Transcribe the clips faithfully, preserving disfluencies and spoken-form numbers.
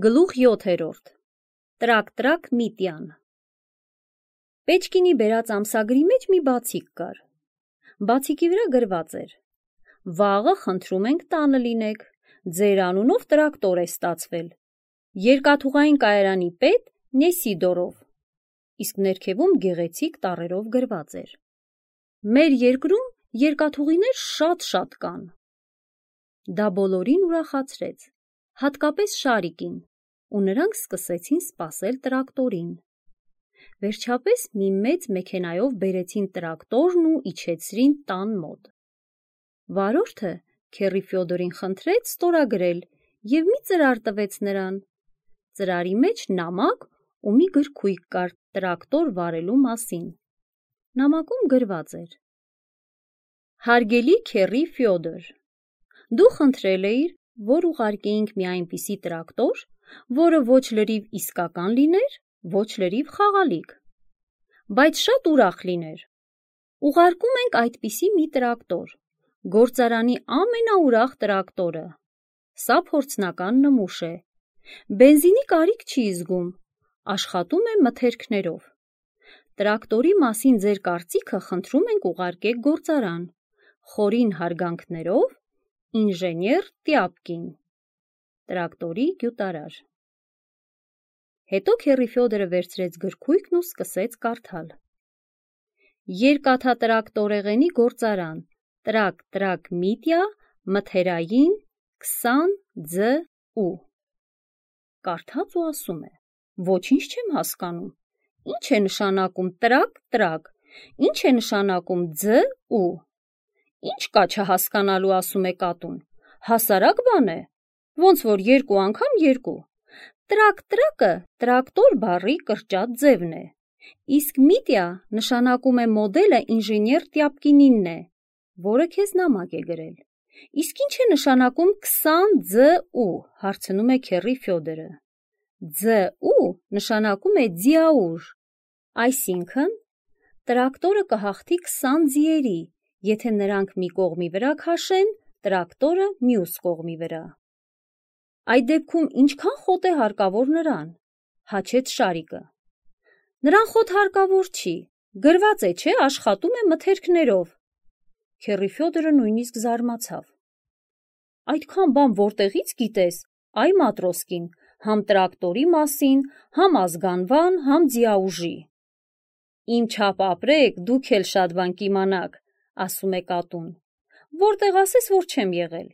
Գլուխ յոթերորդ Տրակ-տրակ Միտյան Պեչկինի բերած ամսագրի մեջ մի բացիկ կար։ Բացիկի վրա գրված էր. «Վաղը խնդրում ենք տանը լինեք, ձեր անունով տրակտոր է ստացվել, երկաթուղային կայարանի պետ Նեսիդորով», իսկ ներքևում գեղեցիկ տառերով գրված էր. «Մեր երկրում երկաթուղիներ շատ-շատ կան»։ Դա բոլորին ուրախացրեց, հատկապես Շարիկին, ու նրանք սկսեցին սպասել տրակտորին։ Վերջապես մի մեծ մեքենայով բերեցին տրակտորն ու իջեցրին տան մոտ։ Վարորդը քեռի Ֆյոդորին խնդրեց ստորագրել և մի ծրար տվեց նրան։ Ծրարի մեջ նամակ ու մի գրքույկ կար տրակտոր վարելու մասին։ Նամակում գրված էր. «Հարգելի քեռի Ֆյոդոր, դու խնդրել էիր, որ ուղարկեինք մի այնպիսի տրակտոր, որը ոչ լրիվ իսկական լիներ, ոչ լրիվ խաղալիք, բայց շատ ուրախ լիներ։ Ուղարկում ենք այդպիսի մի տրակտոր, գործարանի ամենաուրախ տրակտորը։ Սա փորձնական նմուշ է, բենզինի կարիք չի զգում, աշխատում է մթերքներով։ Տրակտորի մասին ձեր կարծիքը խնդրում ենք ուղարկեք գործարան, խորին հարգանքներով, ինժեներ Տյապկին, տրակտորի գյուտարար»։ Հետո քեռի Ֆյոդորը վերցրեց գրքույկն ու սկսեց կարդալ. «Երկաթատրակտորեղենի գործարան, տրակ-տրակ Միտյա, մթերային, քսան ձ ու»։ Կարդաց ու ասում է. «Ոչինչ չեմ հասկանում, ի՞նչ է նշանակում տրակ-տրակ, ի՞նչ է նշանակում ձ ու։ Ի՞նչ կա չհասկանալու, ասում է կատուն, հասարակ բան է, ոնց որ երկու անգամ երկու։ Տրակ-տրակը տրակտոր բառի կրճատ ձևն է, իսկ Միտյա նշանակում է մոդելը ինժեներ Տյապկինինն է, որը քեզ նամակ է գրել։ Իսկ ի՞նչ է նշանակում քսան ձ ու, հարցնում է քեռի Ֆյոդորը։ Ձ ու նշանակում է ձիաուր, այսինքն տրակտորը կհաղթի քսան ձիերի, եթե նրանք մի կողմի վրա քաշեն, տրակտորը մյուս կողմի վրա։ Այդ դեպքում ինչքան խոտ է հարկավոր նրան, հաչեց Շարիկը։ Նրան խոտ հարկավոր չի, գրված է, չէ, աշխատում է մթերքներով։ Քեռի Ֆյոդորը նույնիսկ զարմացավ։ Այդքան բան որտեղից գիտես, այ Մատրոսկին, համ տրակտորի մասին, համ ազգանվան, համ ձիաուժի։ Իմ չափ ապրեք, դուք էլ շատ բան կիմանաք, ասում է կատուն, որտեղ ասես, որ չեմ եղել։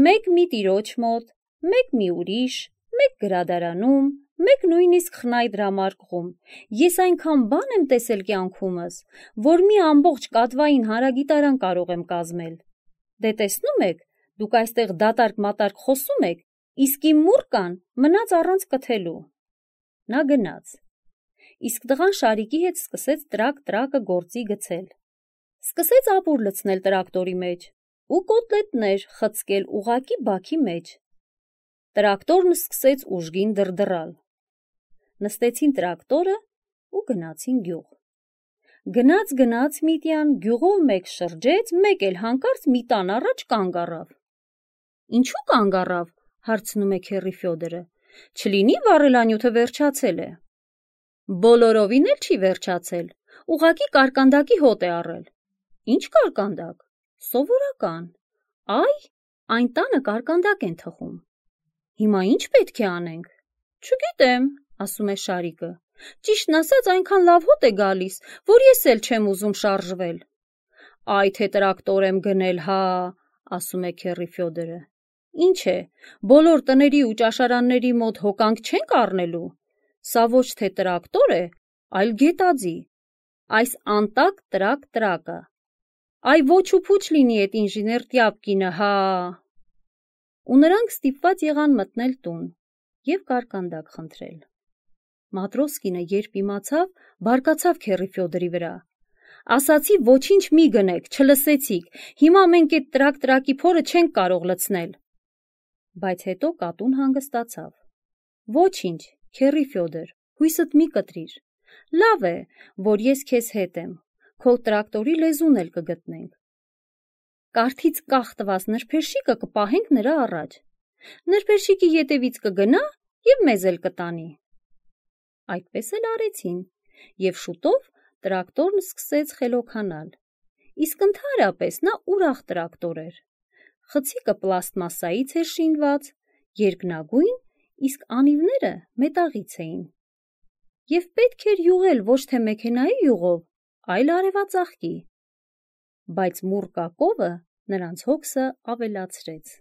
Մեկ մի տիրոջ մոտ, մեկ մի ուրիշ, մեկ գրադարանում, մեկ նույնիսկ խնայ-դրամարկղում։ Ես այնքան բան եմ տեսել կյանքումս, որ մի ամբողջ կատվային հանրագիտարան կարող եմ կազմել։ Դե տեսնում եք, դուք այստեղ դատարկ-մատարկ խոսում եք, իսկ իմ մուրկան մնաց առանց կթելու։ Նա գնաց։ Իսկ տղան Շարիկի հետ սկսեց տրակ-տրակը գործի գցել։ Սկսեց ապուր լցնել տրակտորի մեջ ու կոտլետներ խցկել ուղղակի բաքի մեջ։ Տրակտորն սկսեց ուժգին դրդռալ։ Նստեցին տրակտորը ու գնացին գյուղ։ Գնաց-գնաց Միտյան, գյուղով մեկ շրջեց, մեկ էլ հանկարծ մի տան առաջ կանգ առավ։ Ինչու կանգ առավ, հարցնում է քեռի Ֆյոդորը, չլինի վառելանյութը վերջացել է։ Բոլորովին էլ չի վերջացել, ուղղակի կարկանդակի հոտ է առել։ Ինչ կարկանդակ, սովորական, այ, այն տանը կարկանդակ են թխում։ Հիմա ինչ պետք է անենք։ Չգիտեմ, ասում է Շարիկը, ճիշտն ասած այնքան լավ հոտ է գալիս, որ ես էլ չեմ ուզում շարժվել։ Այ թե տրակտոր եմ գնել, հա, ասում է քեռի Ֆյոդորը։ Ինչ է, բոլոր տների ու ճաշարանների մոտ հոկանք չենք առնելու։ Սա ոչ թե տրակտոր է, այլ գետաձի, այս անտակ տրակ-տրակը։ Այ ոչ ու փուչ լինի էդ ինժեներ Տյապկինը, հա։ Ու նրանք ստիպված եղան մտնել տուն և կարկանդակ խնդրել։ Մատրոսկինը երբ իմացավ, բարկացավ քեռի Ֆյոդորի վրա։ Ասացի ոչինչ մի գնեք, չլսեցիք, հիմա մենք էդ տրակ-տրակի փորը չենք կարող լցնել։ Բայց հետո կատուն հանգստացավ։ Ոչինչ, քեռի Ֆյոդոր, հույսդ մի կտրիր։ Լավ է, որ ես քեզ հետ եմ, քո տրակտորի լեզուն էլ կգտնենք։ Կարթից կախ տված նրբերշիկը կպահենք նրա առաջ։ Նրբերշիկի ետևից կգնա և մեզ էլ կտանի։ Այդպես էլ արեցին, և շուտով տրակտորն սկսեց խելոքանալ, իսկ ընդհանրապես նա ուրախ տրակտոր էր։ Խցիկը պլաստմասսայից էր շինված, երկնագույն, իսկ անիվները մետաղից էին։ Եվ պետք էր յուղել ոչ թե մեքենայի յուղով, այլ արևածաղկի, բայց մուռ կակովը նրանց հոգսը ավելացրեց։